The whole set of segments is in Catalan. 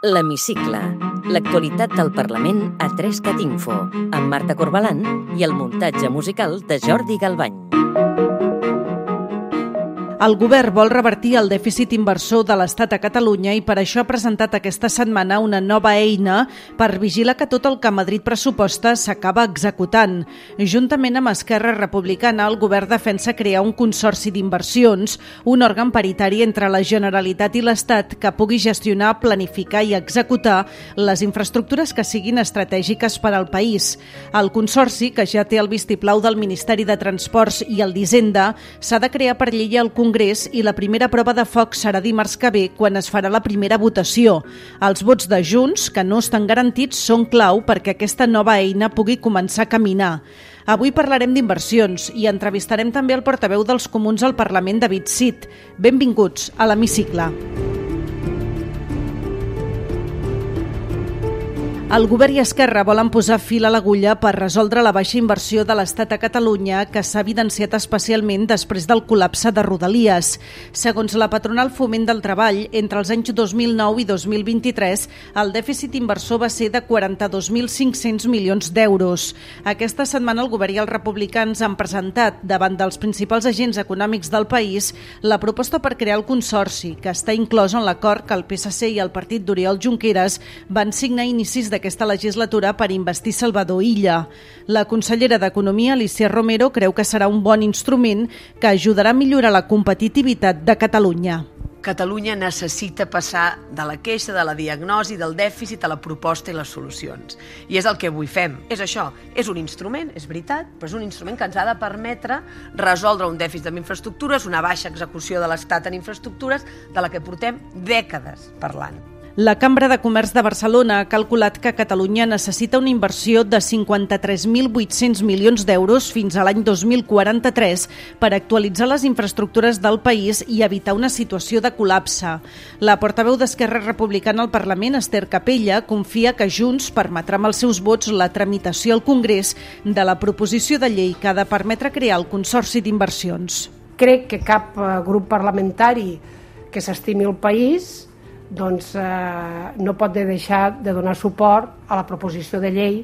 L'Hemicicle, l'actualitat del Parlament a 3cat Info, amb Marta Corbalán i el muntatge musical de Jordi Galbany. El govern vol revertir el dèficit inversor de l'Estat a Catalunya i per això ha presentat aquesta setmana una nova eina per vigilar que tot el que Madrid pressuposta s'acaba executant. Juntament amb Esquerra Republicana, el govern defensa crear un consorci d'inversions, un òrgan paritari entre la Generalitat i l'Estat que pugui gestionar, planificar i executar les infraestructures que siguin estratègiques per al país. El consorci, que ja té el vistiplau del Ministeri de Transports i el d'Hisenda, s'ha de crear per llei al Congrés i la primera prova de foc serà dimarts que ve, quan es farà la primera votació. Els vots de Junts, que no estan garantits, són clau perquè aquesta nova eina pugui començar a caminar. Avui parlarem d'inversions i entrevistarem també el portaveu dels Comuns al Parlament, David Cid. Benvinguts a l'Hemicicle. El govern i Esquerra volen posar fil a l'agulla per resoldre la baixa inversió de l'Estat a Catalunya, que s'ha evidenciat especialment després del col·lapse de Rodalies. Segons la patronal Foment del Treball, entre els anys 2009 i 2023, el dèficit inversor va ser de 42.500 milions d'euros. Aquesta setmana el govern i els republicans han presentat, davant dels principals agents econòmics del país, la proposta per crear el consorci, que està inclòs en l'acord que el PSC i el partit d'Oriol Junqueras van signar a inicis d'aquesta legislatura per investir Salvador Illa. La consellera d'Economia, Alícia Romero, creu que serà un bon instrument que ajudarà a millorar la competitivitat de Catalunya. Catalunya necessita passar de la queixa, de la diagnosi, del dèficit a la proposta i les solucions. I és el que avui fem. És això, és un instrument, és veritat, però és un instrument que ens ha de permetre resoldre un dèficit en infraestructures, una baixa execució de l'Estat en infraestructures, de la que portem dècades parlant. La Cambra de Comerç de Barcelona ha calculat que Catalunya necessita una inversió de 53.800 milions d'euros fins a l'any 2043 per actualitzar les infraestructures del país i evitar una situació de col·lapse. La portaveu d'Esquerra Republicana al Parlament, Esther Capella, confia que Junts permetrà amb els seus vots la tramitació al Congrés de la proposició de llei que ha de permetre crear el Consorci d'Inversions. Crec que cap grup parlamentari que s'estimi el país no pot deixar de donar suport a la proposició de llei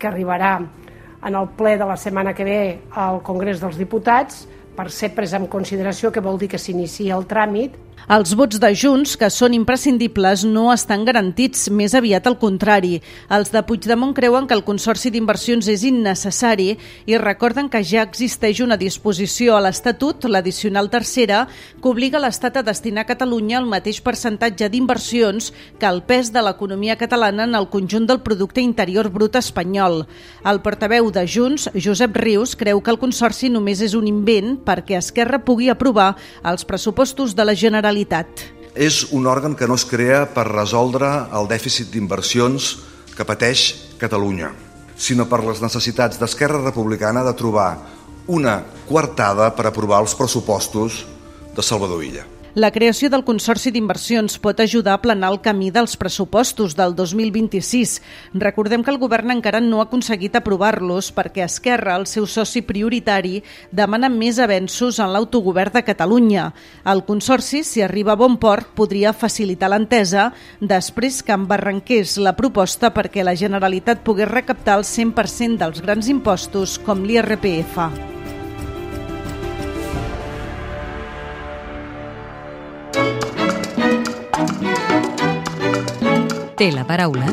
que arribarà en el ple de la setmana que ve al Congrés dels Diputats per ser presa en consideració, que vol dir que s'inicia el tràmit. Els vots de Junts, que són imprescindibles, no estan garantits, més aviat al contrari. Els de Puigdemont creuen que el Consorci d'Inversions és innecessari i recorden que ja existeix una disposició a l'Estatut, l'addicional tercera, que obliga l'Estat a destinar a Catalunya el mateix percentatge d'inversions que el pes de l'economia catalana en el conjunt del producte interior brut espanyol. El portaveu de Junts, Josep Rius, creu que el Consorci només és un invent perquè Esquerra pugui aprovar els pressupostos de la Generalitat. És un òrgan que no es crea per resoldre el dèficit d'inversions que pateix Catalunya, sinó per les necessitats d'Esquerra Republicana de trobar una coartada per aprovar els pressupostos de Salvador Illa. La creació del Consorci d'Inversions pot ajudar a aplanar el camí dels pressupostos del 2026. Recordem que el govern encara no ha aconseguit aprovar-los perquè Esquerra, el seu soci prioritari, demana més avenços en l'autogovern de Catalunya. El Consorci, si arriba a bon port, podria facilitar l'entesa després que embarranqués la proposta perquè la Generalitat pogués recaptar el 100% dels grans impostos com l'IRPF. Té la paraula.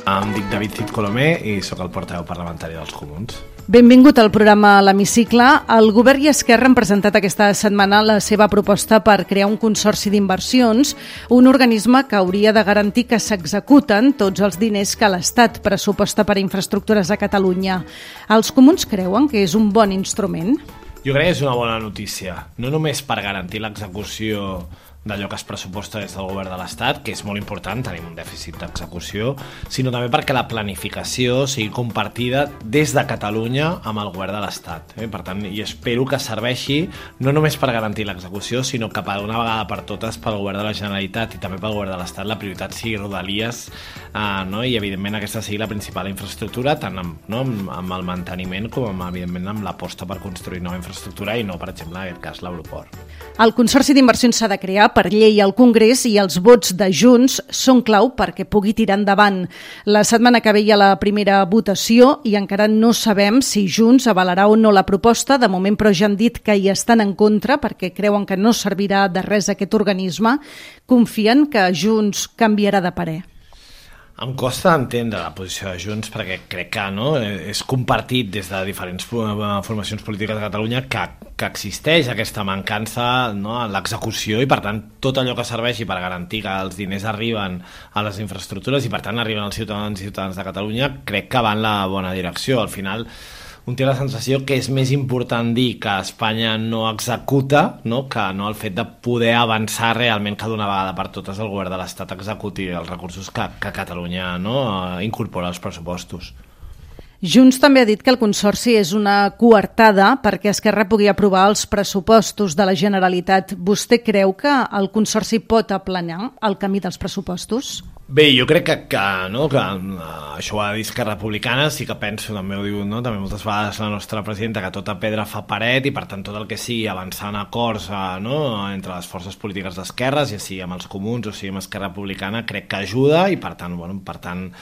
Em dic David Cid Colomer i sóc el portaveu parlamentari dels Comuns. Benvingut al programa L'Hemicicle. El govern i Esquerra han presentat aquesta setmana la seva proposta per crear un consorci d'inversions, un organisme que hauria de garantir que s'executen tots els diners que l'Estat pressuposta per a infraestructures a Catalunya. Els Comuns creuen que és un bon instrument? Jo crec que és una bona notícia, no només per garantir l'execució d'allò que es pressuposta des del govern de l'Estat, que és molt important, tenim un dèficit d'execució, sinó també perquè la planificació sigui compartida des de Catalunya amb el govern de l'Estat. Per tant, i espero que serveixi no només per garantir l'execució, sinó que per una vegada per totes pel govern de la Generalitat i també pel govern de l'Estat la prioritat sigui Rodalies, i evidentment aquesta sigui la principal infraestructura, tant amb el manteniment com evidentment amb l'aposta per construir nova infraestructura i no, per exemple, en aquest cas, l'aeroport. El Consorci d'Inversions s'ha de crear per llei al Congrés i els vots de Junts són clau perquè pugui tirar endavant. La setmana que ve hi ha la primera votació i encara no sabem si Junts avalarà o no la proposta. De moment, però, ja han dit que hi estan en contra perquè creuen que no servirà de res aquest organisme. Confien que Junts canviarà de parer. Em costa entendre la posició de Junts perquè crec que és compartit des de diferents formacions polítiques de Catalunya que existeix aquesta mancança en l'execució i, per tant, tot allò que serveixi per garantir que els diners arriben a les infraestructures i, per tant, arriben als ciutadans i ciutadanes de Catalunya, crec que va en la bona direcció. Al final, un té la sensació que és més important dir que Espanya no executa, que no el fet de poder avançar realment que d'una vegada per totes el govern de l'Estat executi els recursos que Catalunya incorpora als pressupostos. Junts també ha dit que el Consorci és una coartada perquè Esquerra pugui aprovar els pressupostos de la Generalitat. Vostè creu que el Consorci pot aplanar el camí dels pressupostos? Bé, jo crec que això ho ha de dir Esquerra Republicana, sí que penso, també ho diu també moltes vegades la nostra presidenta, que tota pedra fa paret i, per tant, tot el que sigui avançar en acords entre les forces polítiques d'esquerres, ja sigui amb els comuns o sigui amb Esquerra Republicana, crec que ajuda i, per tant,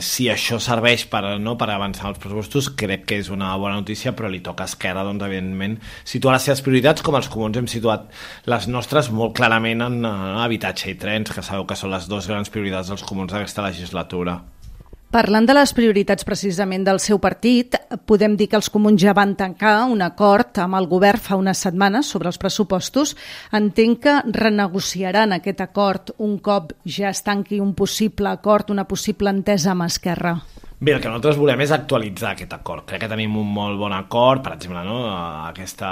si això serveix per avançar els pressupostos, crec que és una bona notícia, però li toca a Esquerra, evidentment, situar les seves prioritats, com els comuns hem situat les nostres molt clarament en habitatge i trens, que sabeu que són les dues grans prioritats dels comuns d'aquesta legislatura. Parlant de les prioritats precisament del seu partit, podem dir que els comuns ja van tancar un acord amb el govern fa unes setmanes sobre els pressupostos. Entenc que renegociaran aquest acord un cop ja es tanqui un possible acord, una possible entesa amb Esquerra. Bé, el que nosaltres volem és actualitzar aquest acord. Crec que tenim un molt bon acord, per exemple, aquesta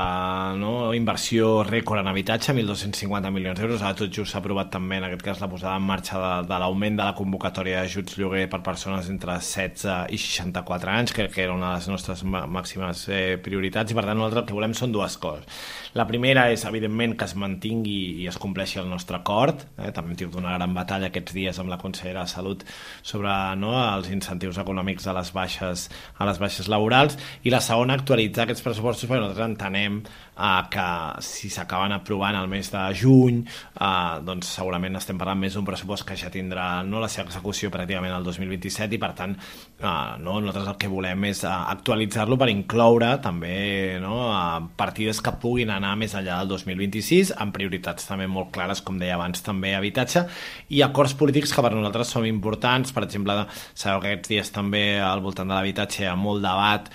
inversió rècord en habitatge, 1.250 milions d'euros. Ara tot just s'ha aprovat també, en aquest cas, la posada en marxa de l'augment de la convocatòria d'ajuts lloguer per persones entre 16 i 64 anys, que era una de les nostres màximes prioritats, i per tant nosaltres el que volem són dues coses. La primera és, evidentment, que es mantingui i es compleixi el nostre acord. També hem tingut una gran batalla aquests dies amb la consellera de Salut sobre els incentius econòmics a les baixes laborals, i la segona, actualitzar aquests pressupostos, perquè nosaltres entenem que si s'acaben aprovant el mes de juny, doncs segurament estem parlant més d'un pressupost que ja tindrà la seva execució pràcticament el 2027 i, per tant, nosaltres el que volem és actualitzar-lo per incloure també partides que puguin anar més enllà del 2026, amb prioritats també molt clares, com deia abans, també habitatge, i acords polítics que per nosaltres són importants. Per exemple, sabeu que aquests dies també al voltant de l'habitatge hi ha molt debat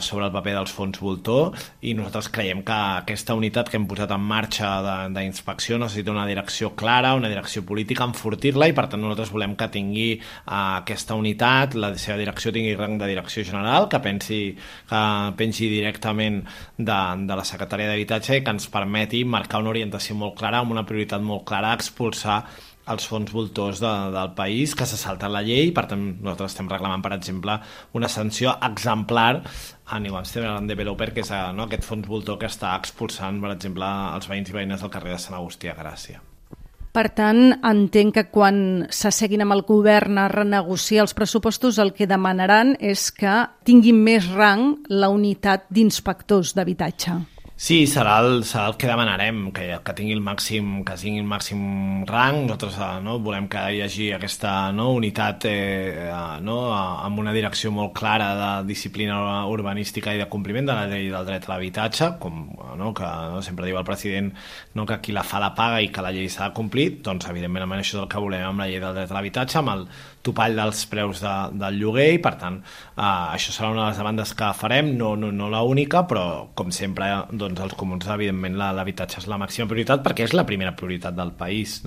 sobre el paper dels fons voltor, i nosaltres creiem que aquesta unitat que hem posat en marxa d'inspecció necessita una direcció clara, una direcció política, enfortir-la, i per tant nosaltres volem que tingui aquesta unitat, la seva direcció tingui rang de direcció general, que pengi directament de la secretària d'Habitatge i que ens permeti marcar una orientació molt clara, amb una prioritat molt clara, expulsar els fons voltors del país que se salten la llei. Per tant, nosaltres estem reclamant, per exemple, una sanció exemplar a New Amsterdam Developer, que és aquest fons voltor que està expulsant, per exemple, els veïns i veïnes del carrer de Sant Agustí a Gràcia. Per tant, entenc que quan s'asseguin amb el govern a renegociar els pressupostos, el que demanaran és que tinguin més rang la unitat d'inspectors d'habitatge. Sí, serà el que demanarem, que tingui el màxim rang. Nosaltres volem que hi hagi aquesta unitat amb una direcció molt clara de disciplina urbanística i de compliment de la llei del dret a l'habitatge, com que sempre diu el president que qui la fa la paga i que la llei s'ha de complir. Doncs evidentment això és el que volem amb la llei del dret a l'habitatge, amb el topall dels preus del lloguer, i per tant això serà una de les demandes que farem, no l'única, però com sempre els comuns, evidentment, l'habitatge és la màxima prioritat perquè és la primera prioritat del país,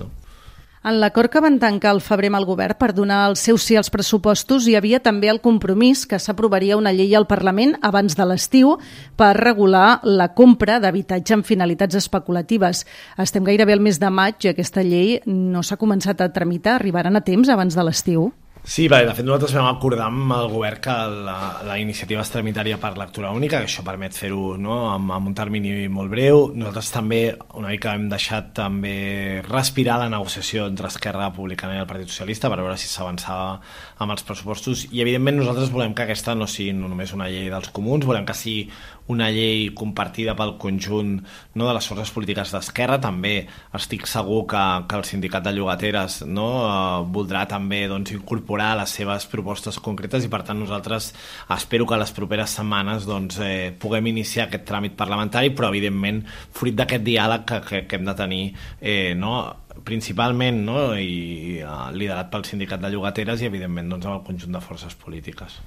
En l'acord que van tancar al febrer amb el govern per donar el seu sí als pressupostos hi havia també el compromís que s'aprovaria una llei al Parlament abans de l'estiu per regular la compra d'habitatge amb finalitats especulatives. Estem gairebé al mes de maig i aquesta llei no s'ha començat a tramitar. Arribaran a temps abans de l'estiu? Sí, de fet nosaltres vam acordar amb el govern que la iniciativa es tramitaria per lectura única, que això permet fer-ho amb un termini molt breu. Nosaltres també una mica hem deixat també respirar la negociació entre Esquerra Republicana i el Partit Socialista per veure si s'avançava amb els pressupostos, i evidentment nosaltres volem que aquesta no sigui només una llei dels comuns, volem que sigui una llei compartida pel conjunt, no, de les forces polítiques d'esquerra. També estic segur que el sindicat de llogateres, no, voldrà també, doncs, incorporar les seves propostes concretes, i per tant nosaltres espero que les properes setmanes, doncs, puguem iniciar aquest tràmit parlamentari, però evidentment fruit d'aquest diàleg que hem de tenir, no, principalment, no, i liderat pel sindicat de llogateres i evidentment, doncs, amb el conjunt de forces polítiques.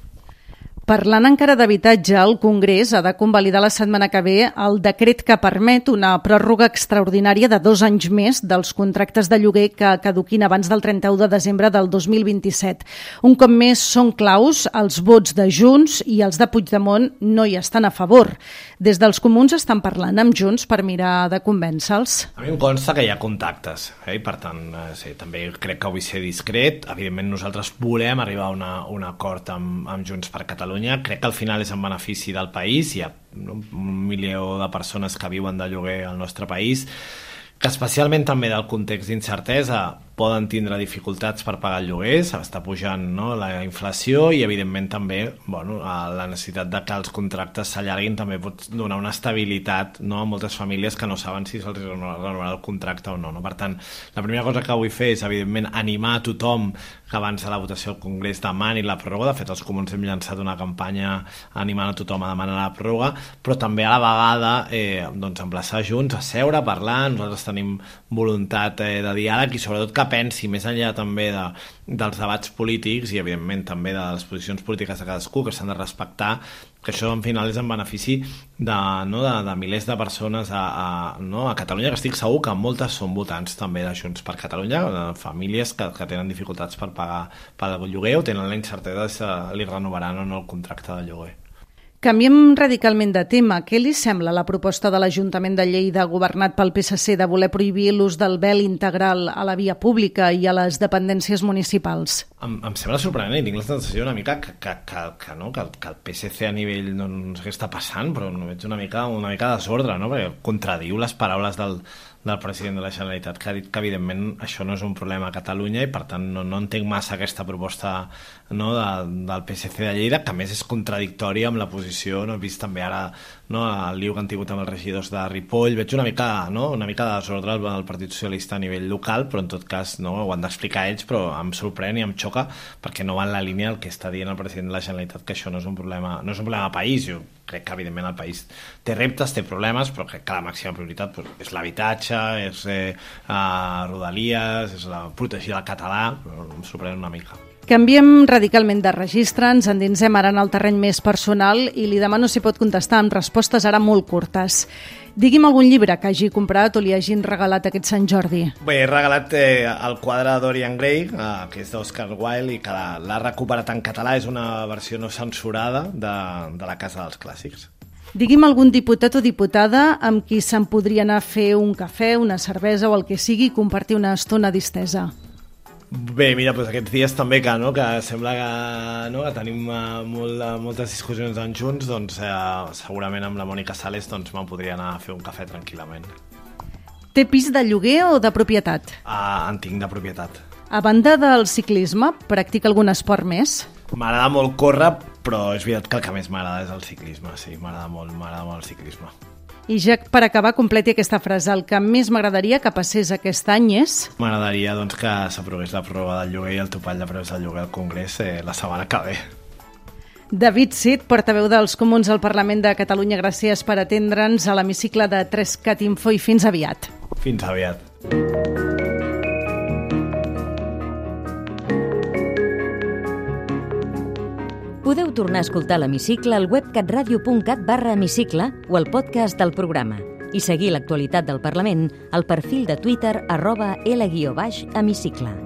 Parlant encara d'habitatge, el Congrés ha de convalidar la setmana que ve el decret que permet una pròrroga extraordinària de 2 anys més dels contractes de lloguer que caduquin abans del 31 de desembre del 2027. Un cop més són claus els vots de Junts i els de Puigdemont no hi estan a favor. Des dels comuns estan parlant amb Junts per mirar de convèncer-los. A mi em consta que hi ha contactes, i per tant sí, també crec que vull ser discret. Evidentment nosaltres volem arribar a un acord amb Junts per Catalunya. Crec que al final és en benefici del país. Hi ha 1 milió de persones que viuen de lloguer al nostre país, que especialment també del context d'incertesa poden tindre dificultats per pagar el lloguer, s'està pujant, no, la inflació, i evidentment també, bueno, la necessitat de que els contractes s'allarguin també pot donar una estabilitat, no, a moltes famílies que no saben si se'ls renovarà el contracte o no. Per tant, la primera cosa que vull fer és evidentment animar a tothom que abans de la votació al Congrés demani la pròrroga. De fet, els comuns hem llançat una campanya animant a tothom a demanar la pròrroga, però també a la vegada doncs emplaçar Junts a seure, a parlar. Nosaltres tenim voluntat de diàleg, i sobretot que pensi més enllà també dels debats polítics i evidentment també de les posicions polítiques de cadascú, que s'han de respectar, que això en final és en benefici de milers de persones a Catalunya, que estic segur que moltes són votants també de Junts per Catalunya, famílies que tenen dificultats per pagar el lloguer o tenen la incertesa si li renovaran o no el contracte de lloguer. Canviem radicalment de tema. Què li sembla la proposta de l'Ajuntament de Lleida, governat pel PSC, de voler prohibir l'ús del vel integral a la via pública i a les dependències municipals? Em sembla sorprenent, i tinc la sensació una mica que el PSC a nivell, no sé què està passant, però veig una mica desordre, no? Perquè contradiu les paraules del president de la Generalitat, que ha dit que evidentment això no és un problema a Catalunya, i per tant no entenc massa aquesta proposta, no, del PSC de Lleida, que a més és contradictòria amb la posició, no? He vist també ara, no, el lío que han tingut amb els regidors de Ripoll. Veig una mica de desordre al Partit Socialista a nivell local, però en tot cas, no, ho han d'explicar ells, però em sorprèn i em xoca perquè no va en la línia el que està dient el president de la Generalitat, que això no és un problema de país. Jo crec que evidentment el país té reptes, té problemes, però crec que la màxima prioritat és l'habitatge, és Rodalies, és protegir el català, però em sorprèn una mica. Canviem radicalment de registre, ens endinsem ara en el terreny més personal i li demano si pot contestar amb respostes ara molt curtes. Digui'm algun llibre que hagi comprat o li hagin regalat aquest Sant Jordi. Bé, he regalat el quadre de Dorian Gray, que és d'Oscar Wilde, i que l'ha recuperat en català. És una versió no censurada de la Casa dels Clàssics. Digui'm algun diputat o diputada amb qui se'n podria anar a fer un cafè, una cervesa o el que sigui i compartir una estona distesa. Bé, mira, doncs aquests dies també que sembla que tenim moltes discussions en Junts, doncs segurament amb la Mònica Sales me'n podria anar a fer un cafè tranquil·lament. Té pis de lloguer o de propietat? En tinc de propietat. A banda del ciclisme, practica algun esport més? M'agrada molt córrer, però és veritat que el que més m'agrada és el ciclisme, sí, m'agrada molt el ciclisme. I ja per acabar, completi aquesta frase. El que més m'agradaria que passés aquest any és... M'agradaria que s'aprovés la pròrroga del lloguer i el topall de preus del lloguer al Congrés la setmana que ve. David Cid, portaveu dels Comuns al Parlament de Catalunya, gràcies per atendre'ns a l'hemicicle de 3cat Info i fins aviat. Fins aviat. Podeu tornar a escoltar l'Hemicicle al web catradio.cat/hemicicle o al podcast del programa i seguir l'actualitat del Parlament al perfil de Twitter @L_Hemicicle.